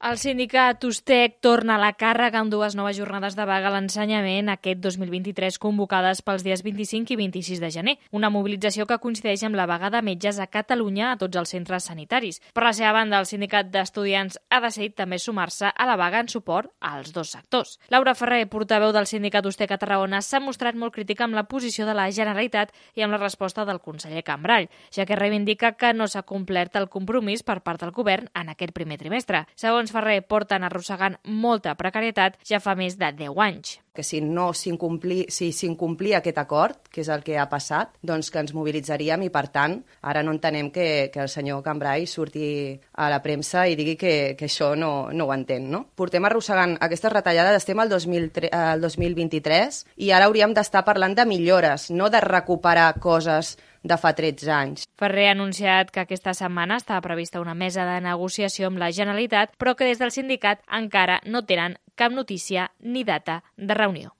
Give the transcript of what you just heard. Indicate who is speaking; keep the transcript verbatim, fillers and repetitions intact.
Speaker 1: El sindicat USTEC torna a la càrrega amb dues noves jornades de vaga a l'ensenyament aquest dos mil vint-i-tres convocades pels dies vint-i-cinc i vint-i-sis de gener, una mobilització que coincideix amb la vaga de metges a Catalunya a tots els centres sanitaris. Per la seva banda, el sindicat d'estudiants ha decidit també sumar-se a la vaga en suport als dos sectors. Laura Ferrer, portaveu del sindicat USTEC a Tarragona, s'ha mostrat molt crítica amb la posició de la Generalitat i amb la resposta del conseller Cambray, ja que reivindica que no s'ha complert el compromís per part del govern en aquest primer trimestre. Segons Ferrer, porten arrossegant molta precarietat ja fa més de deu anys.
Speaker 2: Que si no s'incomplia si s'incomplia aquest acord, que és el que ha passat, doncs que ens mobilitzaríem i, per tant, ara no entenem que, que el senyor Cambray surti a la premsa i digui que, que això no, no ho entén, no? Portem arrossegant aquestes retallades, estem al dos mil vint-i-tres i ara hauríem d'estar parlant de millores, no de recuperar coses de fa tretze anys.
Speaker 1: Ferrer ha anunciat que aquesta setmana estava prevista una mesa de negociació amb la Generalitat, però que des del sindicat encara no tenen cap notícia ni data de reunió.